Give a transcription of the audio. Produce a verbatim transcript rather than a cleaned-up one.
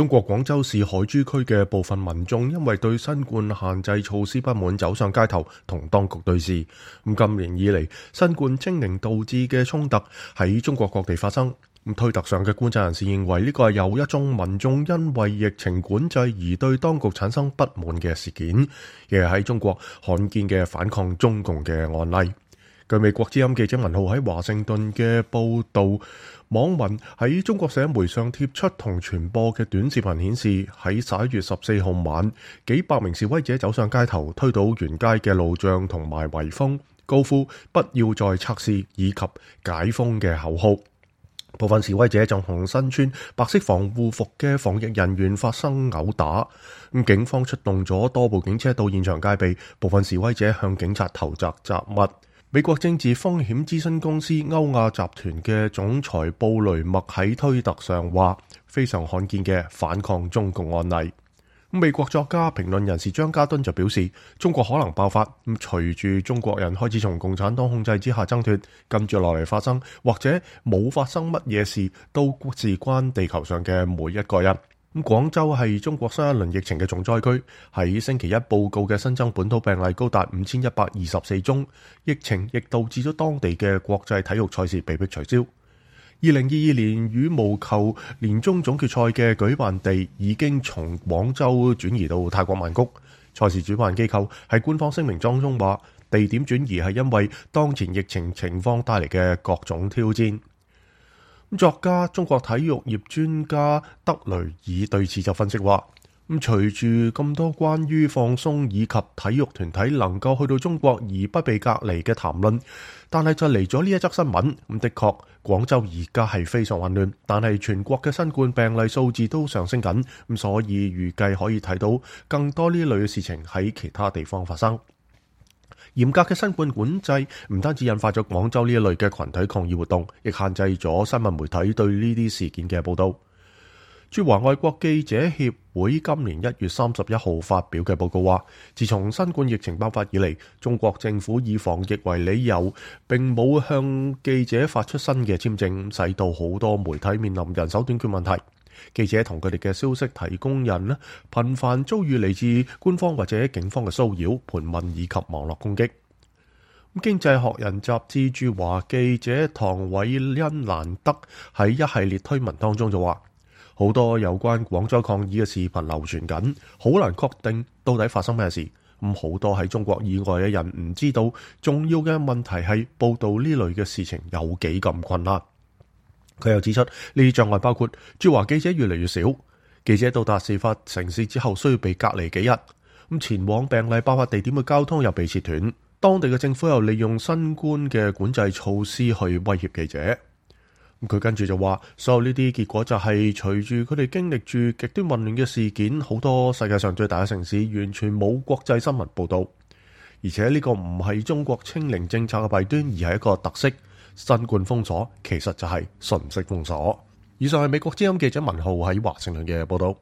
中國廣州市海珠區嘅部分民眾因為對新冠限制措施不滿，走上街頭同當局對峙。咁今年以嚟，新冠清零導致嘅衝突喺中國各地發生。咁推特上嘅觀察人士認為呢個係由一眾民眾因為疫情管制而對當局產生不滿嘅事件，亦係喺中國罕見嘅反抗中共嘅案例。據美國之音記者文浩喺華盛頓嘅報導，網民喺中國社媒上貼出同傳播嘅短視頻顯示，喺十一月十四號晚，幾百名示威者走上街頭，推倒沿街嘅路障同埋圍封，高呼不要再測試以及解封嘅口號。部分示威者仲同身穿白色防護服嘅防疫人員發生毆打，咁警方出動咗多部警車到現場戒備，部分示威者向警察投擲雜物。美國政治風險諮詢公司歐亞集團嘅總裁布雷默喺推特上話，非常罕見嘅反抗中共案例。美國作家評論人士張家敦就表示，中國可能爆發，咁隨住中國人開始從共產黨控制之下掙脫，跟住落嚟發生或者冇發生乜嘢事，都事關地球上嘅每一個人。咁廣州係中國新一輪疫情嘅重災區，喺星期一報告嘅新增本土病例高達五千一百二十四宗，疫情亦導致咗當地嘅國際體育賽事被迫取消。二零二二年羽毛球年終總決賽嘅舉辦地已經從廣州轉移到泰國曼谷。賽事主辦機構喺官方聲明當中話，地點轉移係因為當前疫情情況帶嚟嘅各種挑戰。作家、中國體育業專家德雷爾對此就分析話，咁隨住咁多關於放鬆以及體育團體能夠去到中國而不被隔離嘅談論，但係就嚟咗呢一則新聞。咁的確，廣州而家係非常混亂，但係全國嘅新冠病例數字都上升緊，咁所以預計可以睇到更多呢類嘅事情喺其他地方發生。嚴格嘅新冠管制唔單止引發咗廣州呢一類嘅群體抗議活動，亦限制咗新聞媒體對呢啲事件嘅報導。駐華外國記者協會今年一月三十一號發表嘅報告話，自從新冠疫情爆發以嚟，中國政府以防疫為理由，並冇向記者發出新嘅簽證，使到好多媒體面臨人手短缺問題。記者同佢哋嘅消息提供人呢，頻繁遭遇嚟自官方或者警方嘅騷擾、盤問以及網絡攻擊。經濟學人雜誌駐華記者唐偉恩蘭德喺一系列推文當中就話，好多有關廣州抗議嘅視頻流傳緊，好難確定到底發生咩事。咁好多喺中國以外嘅人唔知道，重要嘅問題係報道呢類嘅事情有幾咁困難。佢又指出，呢啲障礙包括駐華記者越嚟越少，記者到達事發城市之後需要被隔離幾日，咁前往病例爆發地點嘅交通又被切斷，當地嘅政府又利用新冠嘅管制措施去威脅記者。佢跟住就話，所有呢啲結果就係隨住佢哋經歷住極端混亂嘅事件，好多世界上最大嘅城市完全冇國際新聞報導，而且呢個唔係中國清零政策嘅弊端，而係一個特色。新冠封鎖其實就係信息封鎖。以上係美國之音記者文浩喺華盛頓嘅報道。